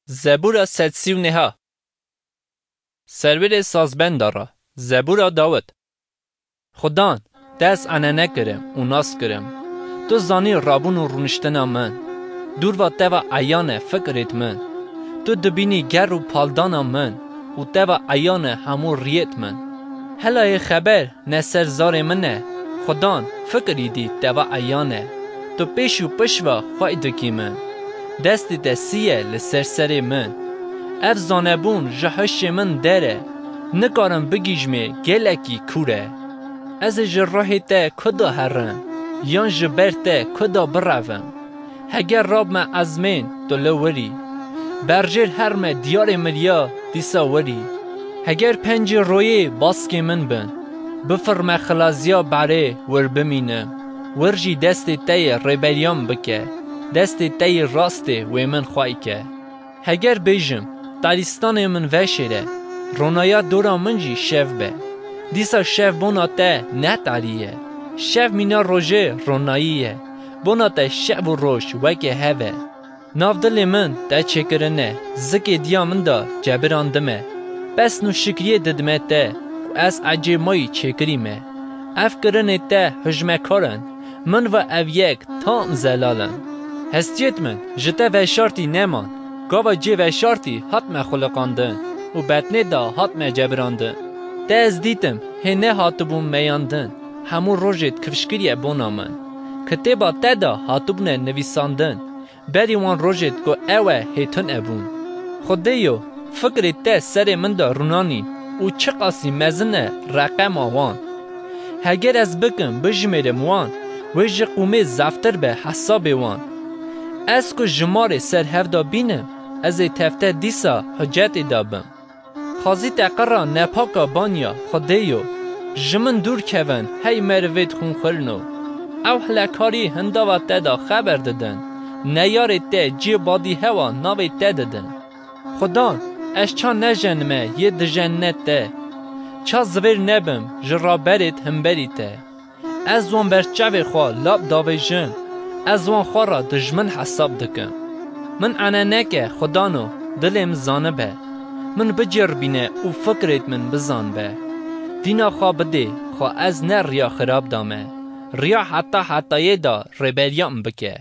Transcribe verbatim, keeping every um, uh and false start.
Zebûra sed sî û neha. Serwêrê sazbenda re. Zebûra Dawid. Xudan, te ez enene kirim û nas kirim. Tu zanî rabûn û rûniştina min. Dûr va te ve eyan e fikrêt min. Tu dibînî ger û paldana min û te ve eyan e hemû riyêt min. Hela yê xeber ne ser zarê min e. Xudan, fikir îdî te ve eyan e. Tu pêş û piş ve xwey dikî min. Destê te sî ye li ser serê min. Ev zanebûn ji hişê min der e. Nikarim bigihîjmê, gelekî kûr e. Ez ê ji ruhê te ku de herim, yan ji ber te ku de birevim? Heger rabme ezmên, tu li wir î. Berjêr herme diyarê miriya, dîsa wir î. Heger pencê royê baskê min bin, bifirme xilaziya berê, wir bimînim. Wir jî destê te yê rêberiya min bike, destê te yê rastê wê min xwey ke. Heger bêjim, taristanê min veşêre, ronaya dora min jî şev be. Dîsa şev bona te ne tarî ye. Şev mîna rojê ronayî ye. Bona te şev û roj weke hev e. Nav dilê min te çêkirine, zikê diya min de cebirandime. Pesn û şikriyê didime te, ku ez ecê mayî çêkirî me. Ev kirinê te hijmekar in, min ve ev yek tam zelal in. Hestiyêt min ji te veşartî neman. Gava cê veşartî hatme xuliqandin û betnê de hatme cebirandin. Te ez dîtim, hê nehatibûm meyandin. Hemû rojêt kifşkiriye bona min. Kitêba te de hatibûne nivîsandin. Berî wan rojêt ku ew e hê tune bûn. Xwedêyo, fikrê te serê min de rûnanîn û çiqasî mezin e reqema wan. Heger ez bikim, bijimêrim wan, wê ji qûmê zaftir be hesabê wan. Ez ku jimarê ser hev de bînim, ez ê tevte dîsa hicetê de bim. Xwazî te qira nepaka banya, Xwedêyo, ji min dûr kevin, hey merivêt xûnxurno. Ew hilekarî hindava te de xeber didin, neyarê te ciyê badîhewa navê te didin. Xudan, ez ça nejenime yê dijenne te? Ça zivêr nebim ji raberêt himberî te? Ez wan ber çavê xwe lap davêjim, ez wan xwe re dijmin hesab dikim. Min eneneke, Xudano, dilê min zanibe. Min bicêrbîne û fikrêt min bizanbe. Dîna xwe bidê, xwe ez ne riya xirab dame. Riya heta hetayê de rêberiya min bike.